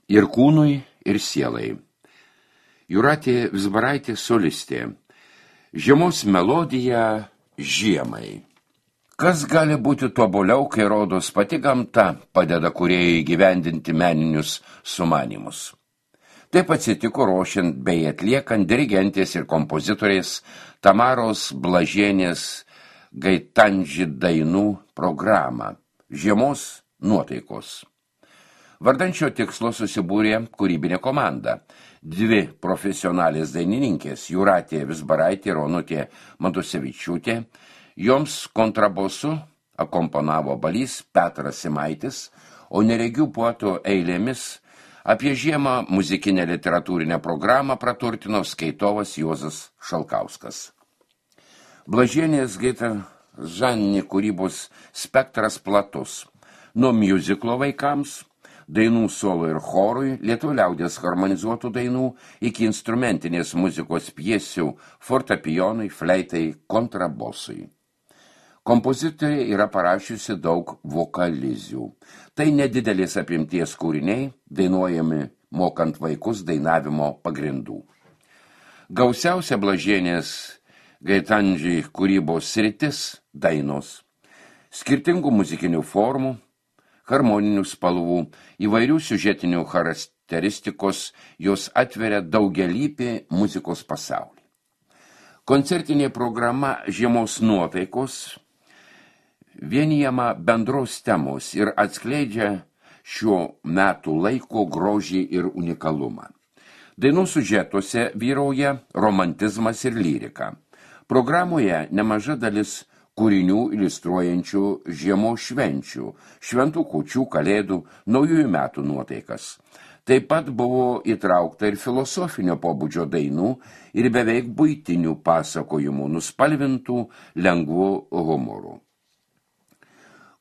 ir kūnui, ir sielai. Jūratė Vizbaraitė solistė. Žiemos melodija žiemai. Kas gali būti tobuliau, kai rodos pati gamta padeda kūrėjai įgyvendinti meninius sumanymus. Taip atsitiko ruošiant bei atliekant dirigentės ir kompozitorės Tamaros Blažienės Gaitanži dainų programą Žiemos nuotaikos. Vardan šio tikslo susibūrė kūrybinė komanda. 2 profesionalės dainininkės Jūratė Vizbaraitė ir Onutė Matusevičiūtė. Joms kontrabosu akomponavo balys Petras Simaitis, o neregių poetų eilėmis apie žiemą muzikinę literatūrinę programą praturtino skaitovas Juozas Šalkauskas. Blažienės Gaitanži kūrybos spektras platus. Nuo miuziklo vaikams, dainų solo ir chorui, lietuvių liaudies harmonizuotų dainų, iki instrumentinės muzikos pjesių fortepijonui, fleitai, kontrabosui. Kompozitorė yra parašiusi daug vokalizių. Tai nedidelės apimties kūriniai, dainuojami mokant vaikus dainavimo pagrindų. Gausiausia Blažienės Gaitanži kūrybos sritis – dainos. Skirtingų muzikinių formų, harmoninių spalvų, įvairių siužetinių charakteristikos jos atveria daugialypį muzikos pasaulį. Koncertinė programa Žiemos nuotaikos vienijama bendros temos ir atskleidžia šio metų laiko grožį ir unikalumą. Dainų siužetuose vyrauja romantizmas ir lyrika. Programoje nemaža dalis kūrinių iliustruojančių žiemos švenčių, šventų kūčių, kalėdų, naujųjų metų nuotaikas. Taip pat buvo įtraukta ir filosofinio pobūdžio dainų ir beveik buitinių pasakojimų, nuspalvintų lengvu humoru.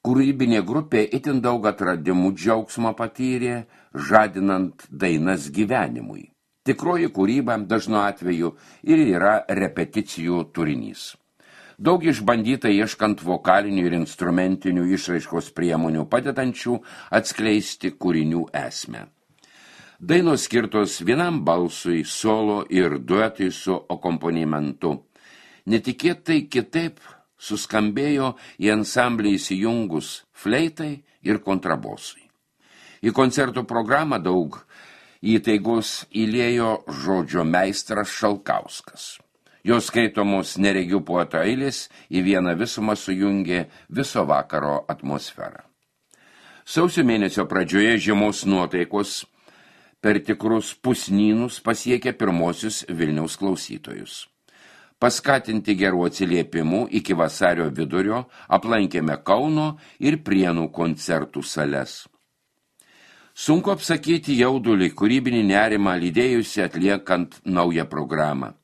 Kūrybinė grupė itin daug atradimų džiaugsmo patyrė, žadinant dainas gyvenimui. Tikroji kūryba dažnu atveju ir yra repeticijų turinys. Daug išbandyta ieškant vokalinių ir instrumentinių išraiškos priemonių padedančių atskleisti kūrinių esmę. Dainos skirtos vienam balsui, solo ir duetui su akompanimentu. Netikėtai kitaip suskambėjo į ansamblį įsijungus fleitai ir kontrabosui. Į koncertų programą daug įtaigos įliejo žodžio meistras Šalkauskas. Jos skaitomos neregių poeto eilės į vieną visumą sujungė viso vakaro atmosferą. Sausio mėnesio pradžioje žiemos nuotaikos per tikrus pusnynus pasiekė pirmosius Vilniaus klausytojus. Paskatinti gerų atsiliepimų iki vasario vidurio aplankėme Kauno ir Prienų koncertų sales. Sunku apsakyti jaudulį, kūrybinį nerimą lydėjusi atliekant naują programą.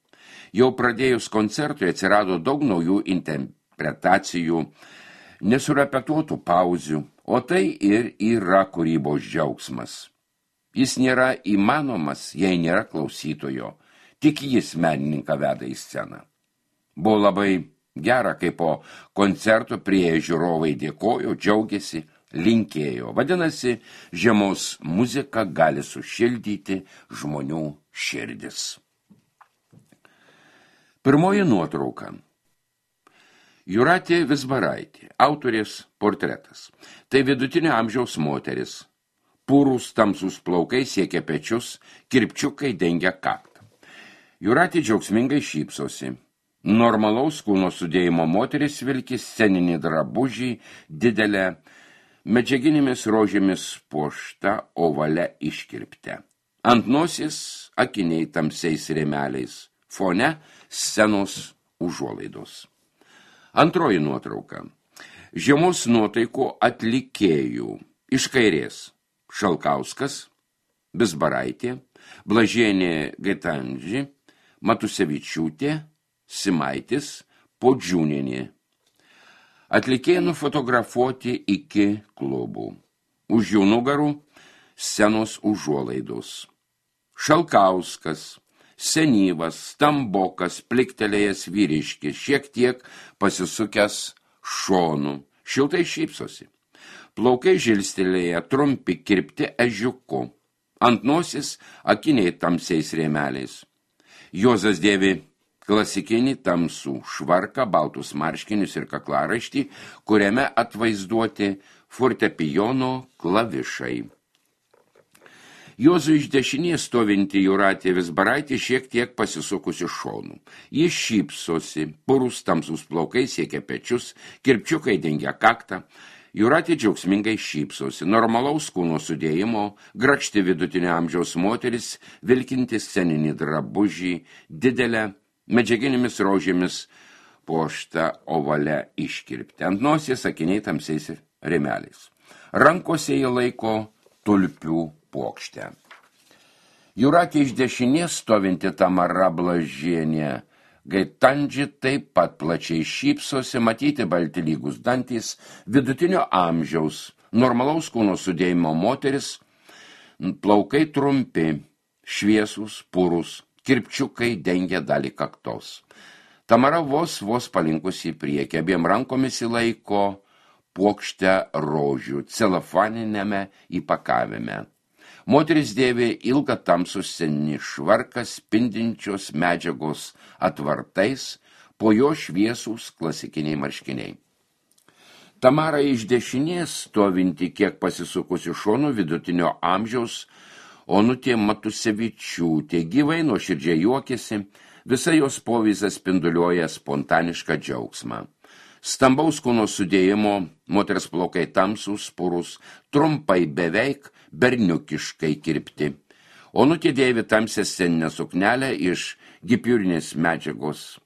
Jau pradėjus koncertui atsirado daug naujų interpretacijų, nesurepetuotų pauzių, o tai ir yra kūrybos džiaugsmas. Jis nėra įmanomas, jei nėra klausytojo, tik jis menininką veda į sceną. Buvo labai gera, kai po koncerto prie žiūrovai dėkojo, džiaugiasi, linkėjo. Vadinasi, žiemos muzika gali sušildyti žmonių širdis. Pirmoji nuotrauka. Jūratė Vizbaraitė, autorės portretas. Tai vidutinio amžiaus moteris. Pūrūs tamsus plaukai siekia pečius, kirpčiukai dengia kaktą. Jūratė džiaugsmingai šypsosi. Normalaus kūno sudėjimo moteris vilki sceninį drabužį, didelę medžiaginėmis rožėmis puošta ovale iškirpte. Ant nosies akiniai tamsiais rėmeliais, fone scenos užuolaidos. Antroji nuotrauka. Žiemos nuotaikų atlikėjų. Iš kairės Šalkauskas, Vizbaraitė, Blažienė Gaitanži, Matusevičiūtė, Simaitis, Podžiūnienė. Atlikėjai nufotografuoti iki klubų. Už jų nugarų scenos užuolaidos. Šalkauskas, senyvas, stambokas, pliktelėjęs vyriškis, šiek tiek pasisukęs šonu, šiltai šypsosi. Plaukai žilstelėję, trumpi, kirpti ežiuku. Ant nosis akiniai tamsiais rėmeliais. Juozas dėvi klasikinį tamsų švarką, baltus marškinius ir kaklaraištį, kuriame atvaizduoti fortepijono klavišai. Juozui iš dešinės stovinti Jūratė Vizbaraitė šiek tiek pasisukusi šonų. Jis šypsosi, purus tamsus plaukai siekia pečius, kirpčiukai dengia kaktą. Jūratė džiaugsmingai šypsosi, normalaus kūno sudėjimo, grakšti vidutinio amžiaus moteris, vilkinti sceninį drabužį, didelę, medžiaginėmis rožėmis puoštą ovale iškirpti. Ant nosies akiniai tamsiais rėmeliais. Rankose jie laiko tulpių puokštę. Jūratė iš dešinės stovinti Tamara Blažienė Gaitandži taip pat plačiai šypsosi, matyti balti lygus dantys, vidutinio amžiaus, normalaus kūno sudėjimo moteris, plaukai trumpi, šviesūs, purus, kirpčiukai dengia dalį kaktos. Tamara vos palinkusi į priekį, abiem rankomis įlaiko puokštę rožių celofaninėme įpakavime. Moteris dėvi ilgą tamsų sceninį švarką spindinčios medžiagos atvartais, po jo šviesūs klasikiniai marškiniai. Tamara iš dešinės stovinti kiek pasisukusi šonų vidutinio amžiaus Onutė Matusevičiūtė gyvai nuoširdžiai juokėsi, visa jos povyza spinduliuoja spontanišką džiaugsmą. Stambaus kūno sudėjimo, moters plaukai tamsūs, purus, trumpai beveik berniukiškai kirpti. Onutė dėvi tamsią sceninę suknelę iš gipiūrinės medžiagos.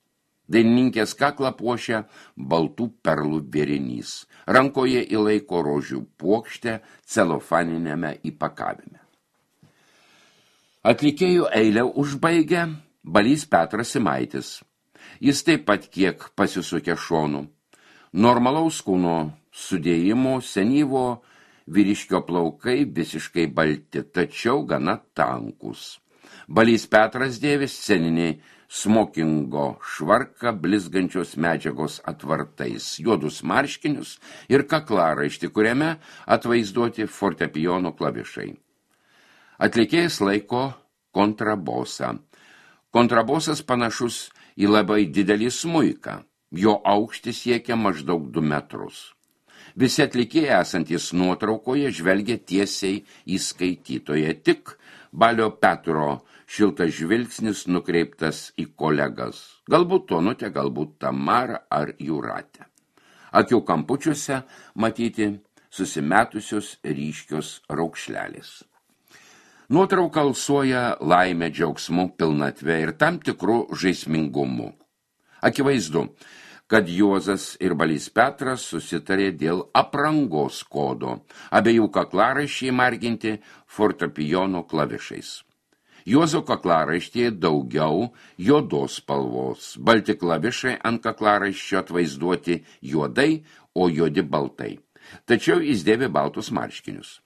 Dainininkės kaklą puošia baltų perlų vėrinys. Rankoje įlaiko rožių puokštę celofaninėme įpakavime. Atlikėjų eilę užbaigia Balys Petras Simaitis. Jis taip pat kiek pasisukė šonų. Normalaus kūno sudėjimo senyvo vyriškio plaukai visiškai balti, tačiau gana tankus. Balys Petras dėvi sceninį smokingo švarką blizgančios medžiagos atvartais, juodus marškinius ir kaklaraištį, kuriame atvaizduoti fortepijono klavišai. Atlikėjas laiko kontrabosą. Kontrabosas panašus į labai didelį smuiką. Jo aukštis siekia maždaug 2 metrus. Visi atlikėjai esantys nuotraukoje žvelgia tiesiai į skaitytoją, tik Balio Petro šiltas žvilgsnis nukreiptas į kolegas. Galbūt Onutę, galbūt Tamarą ar Jūratę. Akių kampučiuose matyti susimetusios ryškios raukšlelės. Nuotrauka alsuoja laimę, džiaugsmu, pilnatvę ir tam tikrų žaismingumu. Akivaizdu, kad Juozas ir Balys Petras susitarė dėl aprangos kodo, abiejų kaklaraiščiai marginti fortepijono klavišais. Juozo kaklaraištyje daugiau juodos spalvos, balti klavišai ant kaklaraiščio atvaizduoti juodai, o juodi baltai. Tačiau jis dėvi baltus marškinius.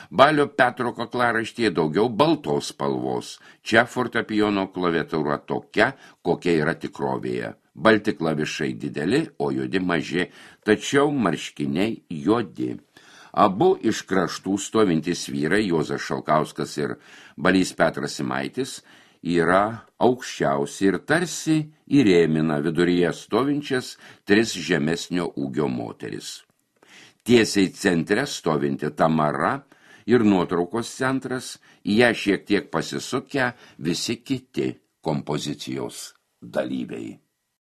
Balio Petro kaklaraištyje daugiau baltos spalvos. Čia fortepijono klaviatūra tokia, kokia yra tikrovėje. Balti klavišai dideli, o juodi maži, tačiau marškiniai juodi. Abu iš kraštų stovintys vyrai, Juozas Šalkauskas ir Balys Petras Simaitis, yra aukščiausi ir tarsi įrėmina viduryje stovinčias 3 žemesnio ūgio moteris. Tiesiai centre stovinti Tamara ir nuotraukos centras, į ją šiek tiek pasisukę visi kiti kompozicijos dalyviai.